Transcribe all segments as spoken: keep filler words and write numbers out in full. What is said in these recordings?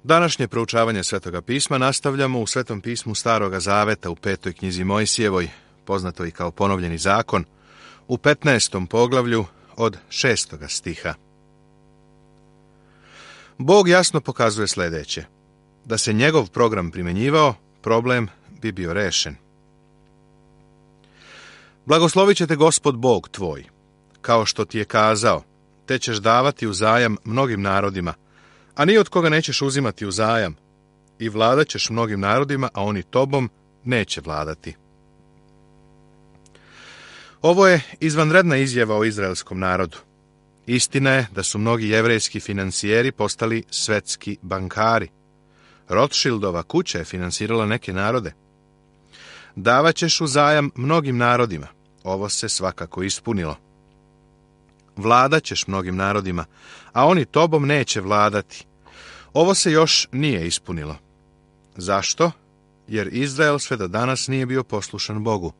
Današnje proučavanje Svetoga pisma nastavljamo u Svetom pismu Staroga Zaveta u petoj knjizi Mojsijevoj, poznato i kao ponovljeni zakon, u petnaestom poglavlju od šestoga stiha. Bog jasno pokazuje sljedeće. Da se njegov program primjenjivao, problem bi bio rešen. Blagoslovit će te Gospod Bog tvoj, kao što ti je kazao, te ćeš davati uzajam mnogim narodima, a ni od koga nećeš uzimati uzajam, i vladat ćeš mnogim narodima, a oni tobom neće vladati. Ovo je izvanredna izjava o izraelskom narodu. Istina je da su mnogi jevrejski financijeri postali svetski bankari. Rothschildova kuća je finansirala neke narode. Davat ćeš uzajam mnogim narodima. Ovo se svakako ispunilo. Vladat ćeš mnogim narodima, a oni tobom neće vladati. Ovo se još nije ispunilo. Zašto? Jer Izrael sve do danas nije bio poslušan Bogu.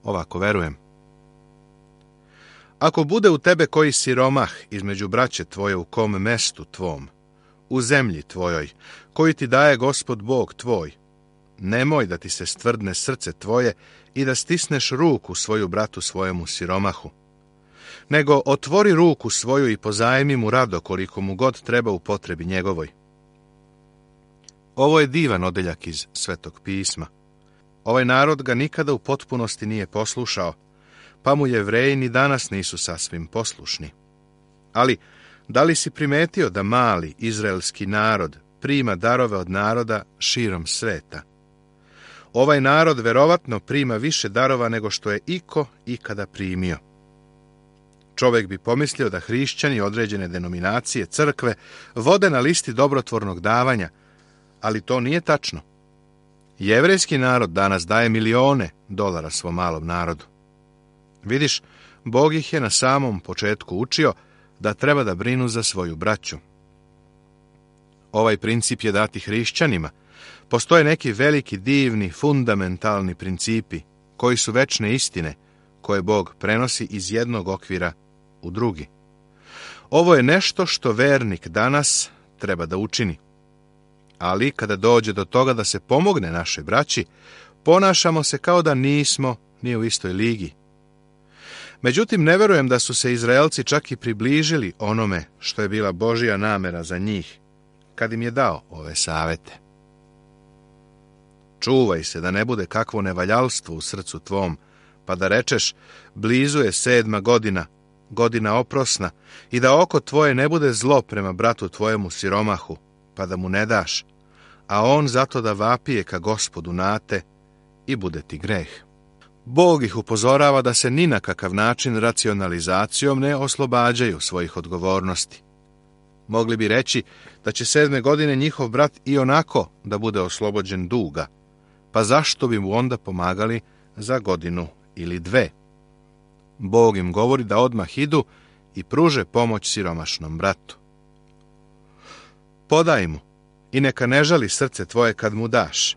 Ovako verujem. Ako bude u tebe koji siromah između braće tvoje u kom mestu tvom, u zemlji tvojoj, koji ti daje Gospod Bog tvoj, nemoj da ti se stvrdne srce tvoje i da stisneš ruku svoju bratu svojemu siromahu, nego otvori ruku svoju i pozajmi mu rado koliko mu god treba u potrebi njegovoj. Ovo je divan odeljak iz Svetog pisma. Ovaj narod ga nikada u potpunosti nije poslušao, pa mu Jevreji ni danas nisu sasvim poslušni. Ali, da li si primetio da mali izraelski narod prima darove od naroda širom sveta? Ovaj narod verovatno prima više darova nego što je iko ikada primio. Čovjek bi pomislio da hrišćani određene denominacije crkve vode na listi dobrotvornog davanja, ali to nije tačno. Jevrejski narod danas daje milione dolara svom malom narodu. Vidiš, Bog ih je na samom početku učio da treba da brinu za svoju braću. Ovaj princip je dati hrišćanima. Postoje neki veliki, divni, fundamentalni principi, koji su večne istine, koje Bog prenosi iz jednog okvira u drugi. Ovo je nešto što vernik danas treba da učini. Ali kada dođe do toga da se pomogne našoj braći, ponašamo se kao da nismo ni u istoj ligi. Međutim, ne verujem da su se Izraelci čak i približili onome što je bila Božja namera za njih, kad im je dao ove savete. Čuvaj se da ne bude kakvo nevaljalstvo u srcu tvom, pa da rečeš, blizu je sedma godina, godina oprosna, i da oko tvoje ne bude zlo prema bratu tvojemu siromahu, pa da mu ne daš, a on zato da vapije ka Gospodu nate i bude ti greh. Bog ih upozorava da se ni na kakav način racionalizacijom ne oslobađaju svojih odgovornosti. Mogli bi reći da će sedme godine njihov brat i onako da bude oslobođen duga, pa zašto bi mu onda pomagali za godinu ili dve? Bog im govori da odmah idu i pruže pomoć siromašnom bratu. Podaj mu i neka ne žali srce tvoje kad mu daš,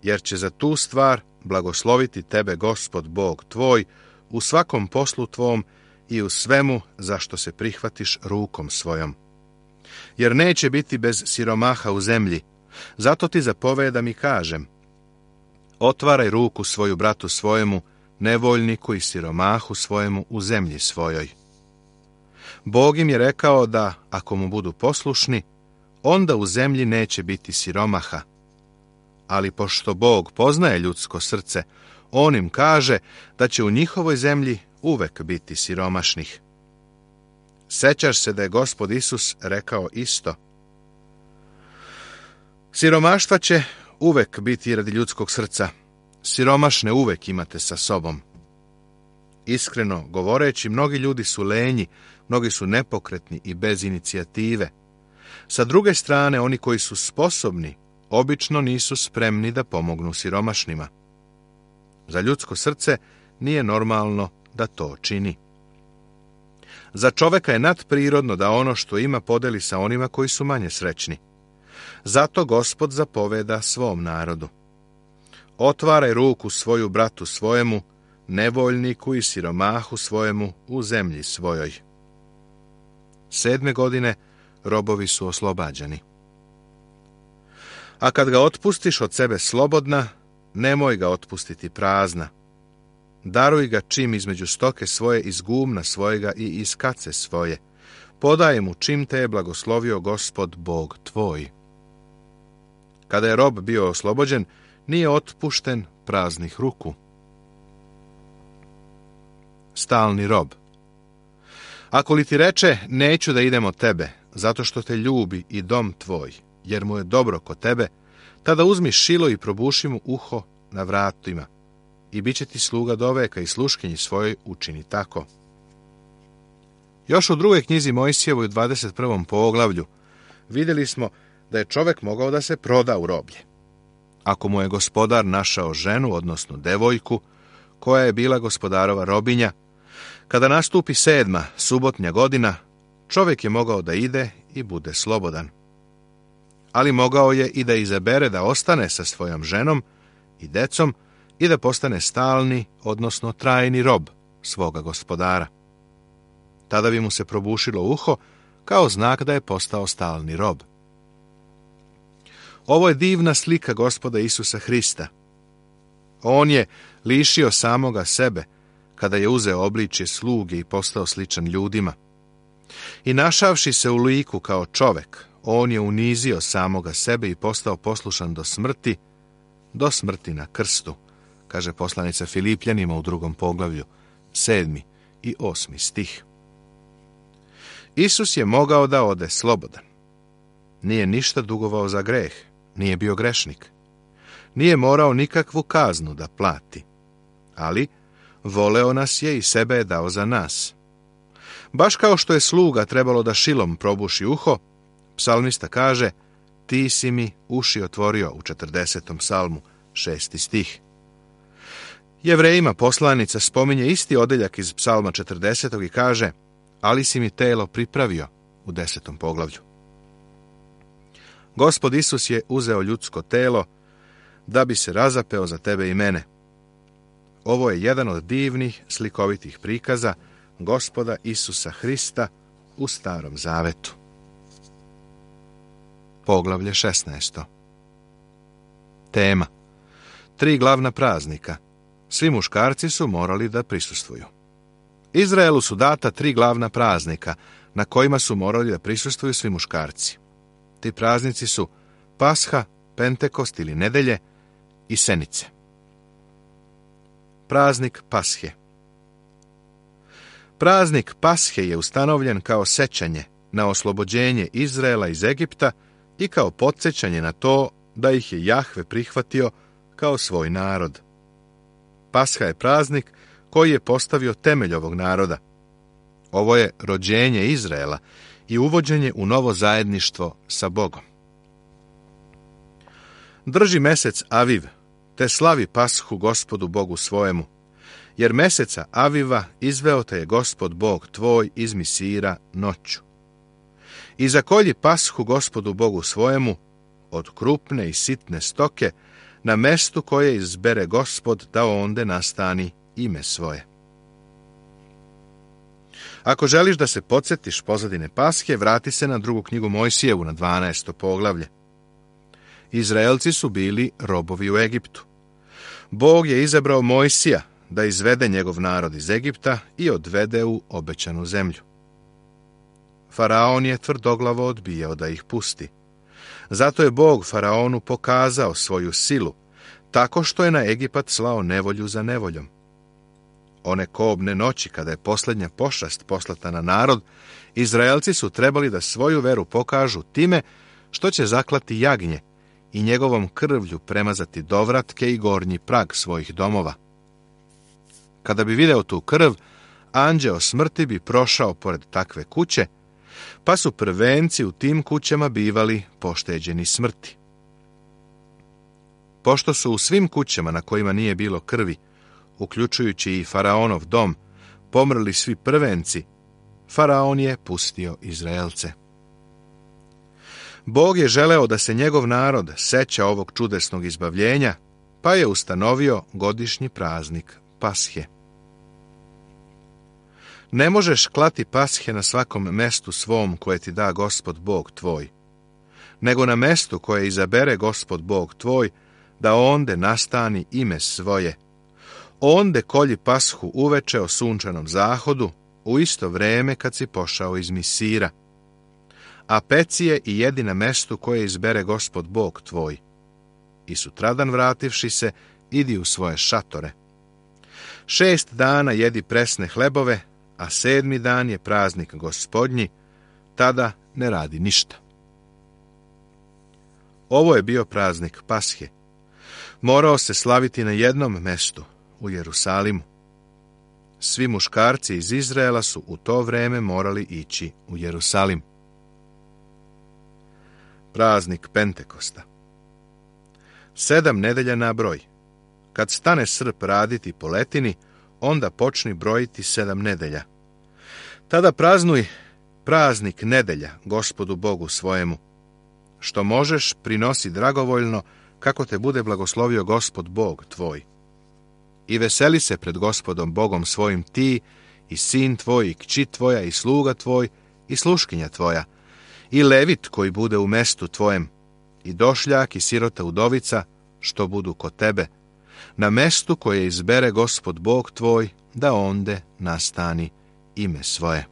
jer će za tu stvar blagosloviti tebe Gospod Bog tvoj u svakom poslu tvom i u svemu za što se prihvatiš rukom svojom. Jer neće biti bez siromaha u zemlji, zato ti zapovedam i kažem, otvaraj ruku svoju bratu svojemu, nevoljniku i siromahu svojemu u zemlji svojoj. Bog im je rekao da, ako mu budu poslušni, onda u zemlji neće biti siromaha. Ali pošto Bog poznaje ljudsko srce, on im kaže da će u njihovoj zemlji uvek biti siromašnih. Sećaš se da je Gospod Isus rekao isto. Siromaštva će uvek biti radi ljudskog srca. Siromašne uvek imate sa sobom. Iskreno govoreći, mnogi ljudi su lenji, mnogi su nepokretni i bez inicijative. Sa druge strane, oni koji su sposobni, obično nisu spremni da pomognu siromašnima. Za ljudsko srce nije normalno da to čini. Za čoveka je nadprirodno da ono što ima podeli sa onima koji su manje srećni. Zato Gospod zapoveda svom narodu. Otvaraj ruku svoju bratu svojemu, nevoljniku i siromahu svojemu u zemlji svojoj. Sedme godine robovi su oslobađani. A kad ga otpustiš od sebe slobodna, nemoj ga otpustiti prazna. Daruj ga čim između stoke svoje, iz gumna svojega i iz kace svoje. Podaj mu čim te je blagoslovio Gospod Bog tvoj. Kada je rob bio oslobođen, nije otpušten praznih ruku. Stalni rob. Ako li ti reče, neću da idem od tebe, zato što te ljubi i dom tvoj, jer mu je dobro kod tebe, tada uzmi šilo i probuši mu uho na vratima, i bit će ti sluga doveka i sluškinji svojoj učini tako. Još u drugoj knjizi Mojsijevoj u dvadeset prvom poglavlju vidjeli smo da je čovjek mogao da se proda u roblje. Ako mu je gospodar našao ženu, odnosno devojku, koja je bila gospodarova robinja, kada nastupi sedma, subotnja godina, čovjek je mogao da ide i bude slobodan. Ali mogao je i da izabere da ostane sa svojom ženom i decom i da postane stalni, odnosno trajni rob svoga gospodara. Tada bi mu se probušilo uho kao znak da je postao stalni rob. Ovo je divna slika Gospoda Isusa Hrista. On je lišio samoga sebe kada je uzeo obličje sluge i postao sličan ljudima. I našavši se u liku kao čovek, on je unizio samoga sebe i postao poslušan do smrti, do smrti na krstu, kaže poslanica Filipljanima u drugom poglavlju, sedmi i osmi stih. Isus je mogao da ode slobodan. Nije ništa dugovao za greh, nije bio grešnik. Nije morao nikakvu kaznu da plati, ali voleo nas je i sebe je dao za nas. Baš kao što je sluga trebalo da šilom probuši uho, psalmista kaže, ti si mi uši otvorio u četrdesetom psalmu, šesti stih. Jevrejima poslanica spominje isti odeljak iz psalma četrdesetog i kaže, ali si mi telo pripravio u desetom poglavlju. Gospod Isus je uzeo ljudsko telo da bi se razapeo za tebe i mene. Ovo je jedan od divnih, slikovitih prikaza Gospoda Isusa Hrista u Starom Zavetu. Poglavlje šesnaesto. Tema. Tri glavna praznika. Svi muškarci su morali da prisustvuju. Izraelu su data tri glavna praznika na kojima su morali da prisustvuju svi muškarci. Ti praznici su Pasha, Pentekost ili Nedelje i Senice. Praznik Pashe. Praznik Pashe je ustanovljen kao sećanje na oslobođenje Izraela iz Egipta i kao podsjećanje na to da ih je Jahve prihvatio kao svoj narod. Pasha je praznik koji je postavio temelj ovog naroda. Ovo je rođenje Izraela i uvođenje u novo zajedništvo sa Bogom. Drži mesec Aviv, te slavi Pashu Gospodu Bogu svojemu, jer meseca Aviva izveo te je Gospod Bog tvoj iz Misira noću. I zakolji Pashu Gospodu Bogu svojemu od krupne i sitne stoke na mestu koje izbere Gospod da onde nastani ime svoje. Ako želiš da se podsjetiš pozadine Pashe, vrati se na drugu knjigu Mojsijevu na dvanaesto poglavlje. Izraelci su bili robovi u Egiptu. Bog je izabrao Mojsija da izvede njegov narod iz Egipta i odvede u obećanu zemlju. Faraon je tvrdoglavo odbijao da ih pusti. Zato je Bog Faraonu pokazao svoju silu, tako što je na Egipat slao nevolju za nevoljom. One kobne noći, kada je posljednja pošast poslata na narod, Izraelci su trebali da svoju veru pokažu time što će zaklati jagnje i njegovom krvlju premazati dovratke i gornji prag svojih domova. Kada bi video tu krv, anđeo smrti bi prošao pored takve kuće, pa su prvenci u tim kućama bivali pošteđeni smrti. Pošto su u svim kućama na kojima nije bilo krvi, uključujući i Faraonov dom, pomrli svi prvenci, Faraon je pustio Izraelce. Bog je želeo da se njegov narod seća ovog čudesnog izbavljenja, pa je ustanovio godišnji praznik Pashe. Ne možeš klati Pashe na svakom mestu svom koje ti da Gospod Bog tvoj. nego na mestu koje izabere Gospod Bog tvoj, da onde nastani ime svoje. Onde kolji pashu uveče o sunčanom zahodu, u isto vreme kad si pošao iz Misira. A peci je i jedi na mestu koje izbere Gospod Bog tvoj. I sutradan vrativši se, idi u svoje šatore. Šest dana jedi presne hlebove, a sedmi dan je praznik Gospodnji, tada ne radi ništa. Ovo je bio praznik Pashe. Morao se slaviti na jednom mestu, u Jerusalimu. Svi muškarci iz Izraela su u to vreme morali ići u Jerusalim. Praznik Pentekosta. Sedam nedelja na broj. Kad stane srp raditi po letini, onda počni brojiti sedam nedelja. Tada praznuj praznik nedelja Gospodu Bogu svojemu. Što možeš, prinosi dragovoljno, kako te bude blagoslovio Gospod Bog tvoj. I veseli se pred Gospodom Bogom svojim ti, i sin tvoj, i kći tvoja, i sluga tvoj, i sluškinja tvoja, i levit koji bude u mestu tvojem, i došljak i sirota udovica, što budu kod tebe, na mestu koje izbere Gospod Bog tvoj, da onde nastani ime svoje.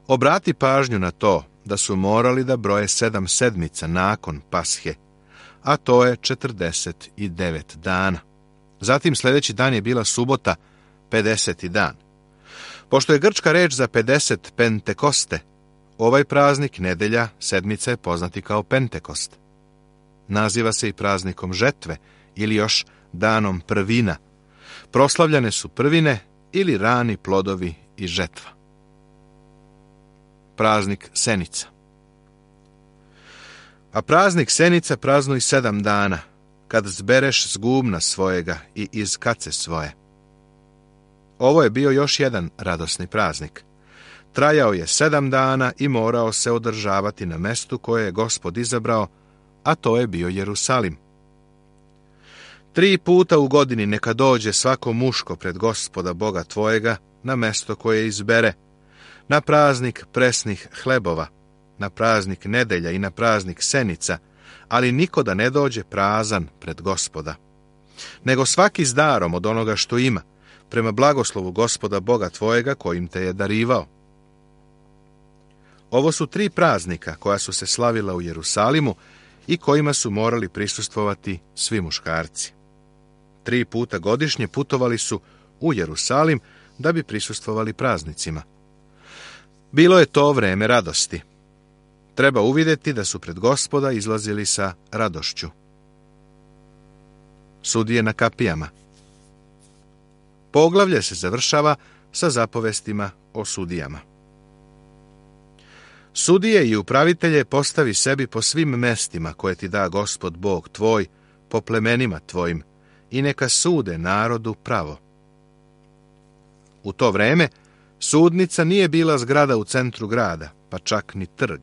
Obrati pažnju na to da su morali da broje sedam sedmica nakon Pashe, a to je četrdeset devet dana. Zatim sljedeći dan je bila subota, pedeseti dan. Pošto je grčka reč za pedeset Pentekoste, ovaj praznik nedelja sedmica je poznati kao Pentekost. Naziva se i praznikom žetve ili još danom prvina. Proslavljane su prvine ili rani plodovi i žetva. Praznik Senica. A praznik Senica praznuj sedam dana, kad zbereš zgumna svojega i iz kace svoje. Ovo je bio još jedan radosni praznik. Trajao je sedam dana i morao se održavati na mestu koje je Gospod izabrao, a to je bio Jerusalim. Tri puta u godini neka dođe svako muško pred Gospoda Boga tvojega na mesto koje izbere, na praznik presnih hlebova, na praznik nedelja i na praznik Senica, ali niko da ne dođe prazan pred Gospoda, nego svaki s darom od onoga što ima, prema blagoslovu Gospoda Boga tvojega kojim te je darivao. Ovo su tri praznika koja su se slavila u Jerusalimu i kojima su morali prisustvovati svi muškarci. Tri puta godišnje putovali su u Jerusalim da bi prisustvovali praznicima. Bilo je to vreme radosti. Treba uvidjeti da su pred Gospoda izlazili sa radošću. Sudije na kapijama. Poglavlje se završava sa zapovestima o sudijama. Sudije i upravitelje postavi sebi po svim mestima koje ti da Gospod Bog tvoj, po plemenima tvojim, i neka sude narodu pravo. U to vreme sudnica nije bila zgrada u centru grada, pa čak ni trg.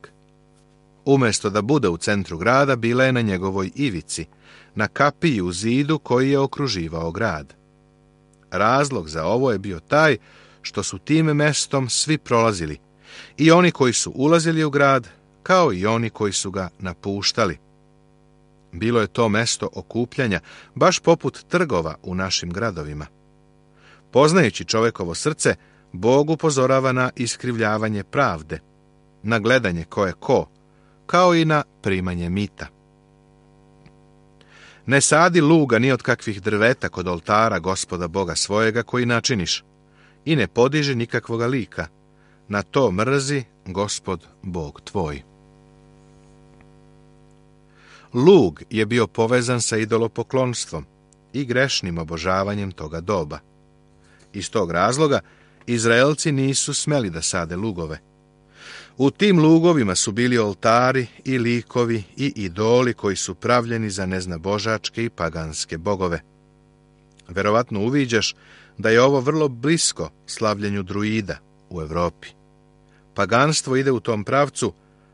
Umjesto da bude u centru grada, bila je na njegovoj ivici, na kapiji u zidu koji je okruživao grad. Razlog za ovo je bio taj što su tim mestom svi prolazili, i oni koji su ulazili u grad, kao i oni koji su ga napuštali. Bilo je to mesto okupljanja, baš poput trgova u našim gradovima. Poznajući čovekovo srce, Bog upozorava na iskrivljavanje pravde, na gledanje ko je ko, kao i na primanje mita. Ne sadi luga ni od kakvih drveta kod oltara Gospoda Boga svojega koji načiniš, i ne podiži nikakvoga lika, na to mrzi Gospod Bog tvoj. Lug je bio povezan sa idolopoklonstvom i grešnim obožavanjem toga doba. Iz tog razloga Izraelci nisu smeli da sade lugove. U tim lugovima su bili oltari i likovi i idoli koji su pravljeni za neznabožačke i paganske bogove. Verovatno uviđaš da je ovo vrlo blisko slavljenju druida u Evropi. Paganstvo ide u tom pravcu,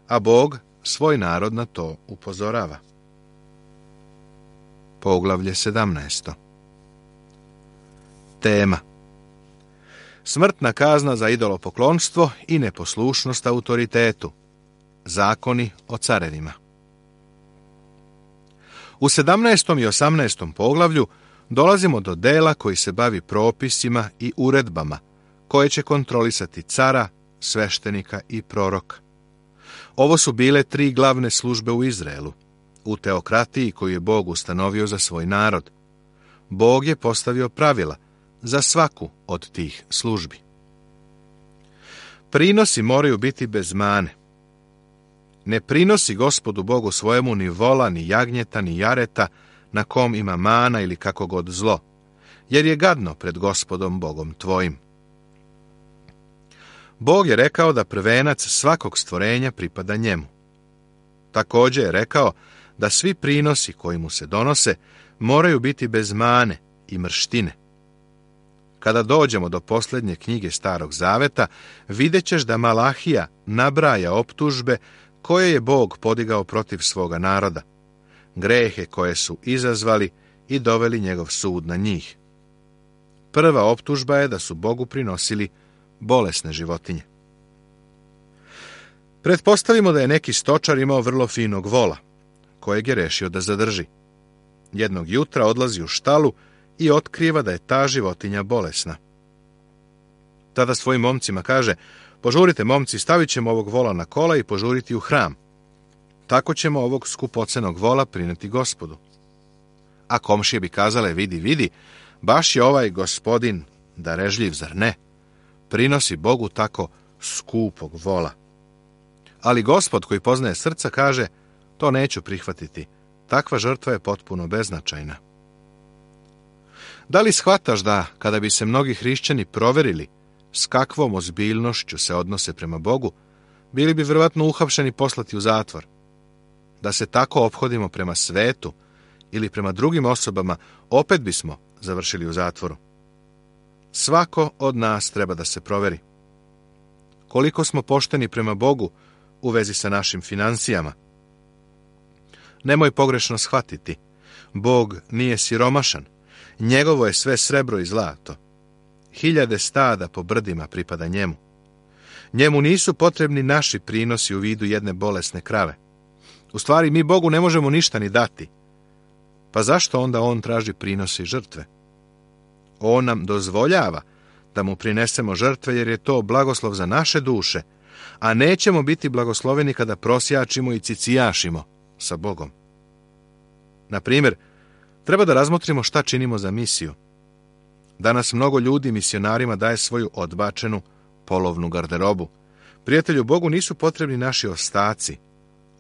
a Bog svoj narod na to upozorava. Poglavlje sedamnaesto. Tema: smrtna kazna za idolopoklonstvo i neposlušnost autoritetu. Zakoni o carevima. U sedamnaestom i osamnaestom poglavlju dolazimo do dela koji se bavi propisima i uredbama koje će kontrolisati cara, sveštenika i proroka. Ovo su bile tri glavne službe u Izraelu, u teokratiji koju je Bog ustanovio za svoj narod. Bog je postavio pravila za svaku od tih službi. Prinosi moraju biti bez mane. Ne prinosi Gospodu Bogu svojemu ni vola, ni jagnjeta, ni jareta, na kom ima mana ili kako god zlo, jer je gadno pred Gospodom Bogom tvojim. Bog je rekao da prvenac svakog stvorenja pripada njemu. Također je rekao da svi prinosi koji mu se donose moraju biti bez mane i mrštine. Kada dođemo do posljednje knjige Starog Zaveta, vidjet ćeš da Malahija nabraja optužbe koje je Bog podigao protiv svoga naroda, grehe koje su izazvali i doveli njegov sud na njih. Prva optužba je da su Bogu prinosili bolesne životinje. Pretpostavimo da je neki stočar imao vrlo finog vola, kojeg je rešio da zadrži. Jednog jutra odlazi u štalu i otkriva da je ta životinja bolesna. Tada svojim momcima kaže: požurite, momci, stavit ćemo ovog vola na kola i požuriti u hram. Tako ćemo ovog skupocenog vola prineti Gospodu. A komšije bi kazale: vidi, vidi, baš je ovaj gospodin darežljiv, zar ne? Prinosi Bogu tako skupog vola. Ali Gospod koji poznaje srca kaže: to neću prihvatiti, takva žrtva je potpuno beznačajna. Da li shvataš da, kada bi se mnogi hrišćani proverili s kakvom ozbiljnošću se odnose prema Bogu, bili bi vjerovatno uhapšeni i poslati u zatvor? Da se tako ophodimo prema svetu ili prema drugim osobama, opet bismo završili u zatvoru. Svako od nas treba da se proveri. Koliko smo pošteni prema Bogu u vezi sa našim financijama? Nemoj pogrešno shvatiti. Bog nije siromašan. Njegovo je sve srebro i zlato. Hiljade stada po brdima pripada njemu. Njemu nisu potrebni naši prinosi u vidu jedne bolesne krave. U stvari, mi Bogu ne možemo ništa ni dati. Pa zašto onda on traži prinose i žrtve? On nam dozvoljava da mu prinesemo žrtve jer je to blagoslov za naše duše, a nećemo biti blagosloveni kada prosjačimo i cicijašimo sa Bogom. Na primjer, treba da razmotrimo šta činimo za misiju. Danas mnogo ljudi misionarima daje svoju odbačenu polovnu garderobu. Prijatelju, Bogu nisu potrebni naši ostaci.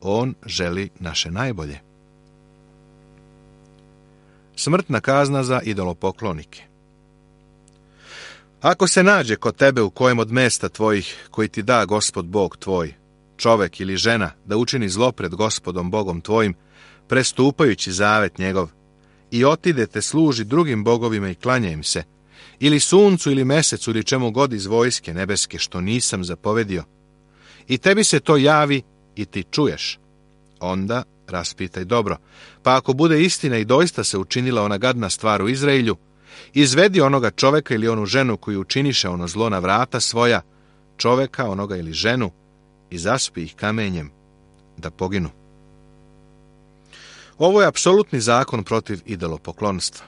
On želi naše najbolje. Smrtna kazna za idolopoklonike. Ako se nađe kod tebe u kojem od mesta tvojih koji ti da Gospod Bog tvoj, čovek ili žena, da učini zlo pred Gospodom Bogom tvojim, prestupajući zavet njegov, i otidete služi drugim bogovima i klanja im se, ili suncu ili mesecu ili čemu god iz vojske nebeske što nisam zapovedio, i tebi se to javi i ti čuješ, onda raspitaj dobro, pa ako bude istina i doista se učinila ona gadna stvar u Izraelju, izvedi onoga čoveka ili onu ženu koju učiniše ono zlo na vrata svoja, čoveka onoga ili ženu, i zaspi ih kamenjem da poginu. Ovo je apsolutni zakon protiv idolopoklonstva.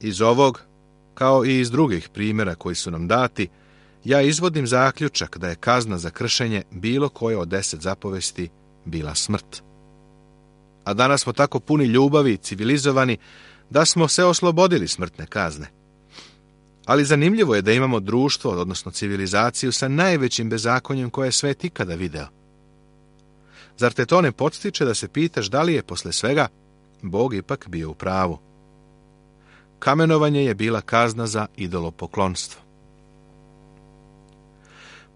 Iz ovog, kao i iz drugih primjera koji su nam dati, ja izvodim zaključak da je kazna za kršenje bilo koje od deset zapovesti bila smrt. A danas smo tako puni ljubavi i civilizovani da smo se oslobodili smrtne kazne. Ali zanimljivo je da imamo društvo, odnosno civilizaciju, sa najvećim bezakonjem koje je svet ikada video. Zar te to ne podstiče da se pitaš da li je posle svega Bog ipak bio u pravu? Kamenovanje je bila kazna za idolopoklonstvo.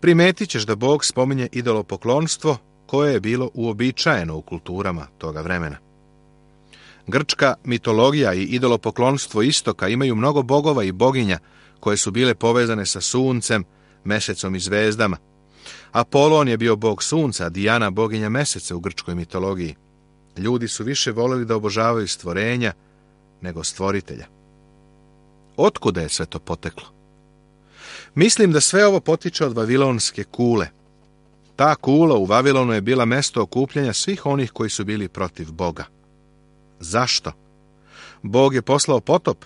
Primetit ćeš da Bog spominje idolopoklonstvo koje je bilo uobičajeno u kulturama toga vremena. Grčka mitologija i idolopoklonstvo istoka imaju mnogo bogova i boginja koje su bile povezane sa suncem, mesecom i zvezdama. Apolon je bio bog sunca, a Dijana boginja meseca u grčkoj mitologiji. Ljudi su više voleli da obožavaju stvorenja nego stvoritelja. Otkuda je sve to poteklo? Mislim da sve ovo potiče od vavilonske kule. Ta kula u Vavilonu je bila mesto okupljanja svih onih koji su bili protiv Boga. Zašto? Bog je poslao potop,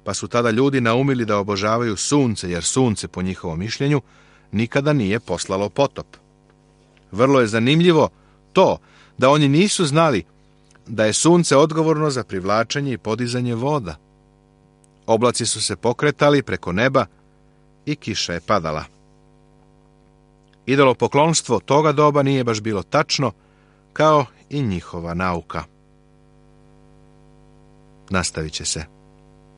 pa su tada ljudi naumili da obožavaju sunce, jer sunce, po njihovom mišljenju, nikada nije poslalo potop. Vrlo je zanimljivo to da oni nisu znali da je sunce odgovorno za privlačenje i podizanje voda. Oblaci su se pokretali preko neba i kiša je padala. Idolopoklonstvo toga doba nije baš bilo tačno, kao i njihova nauka. Nastavit će se.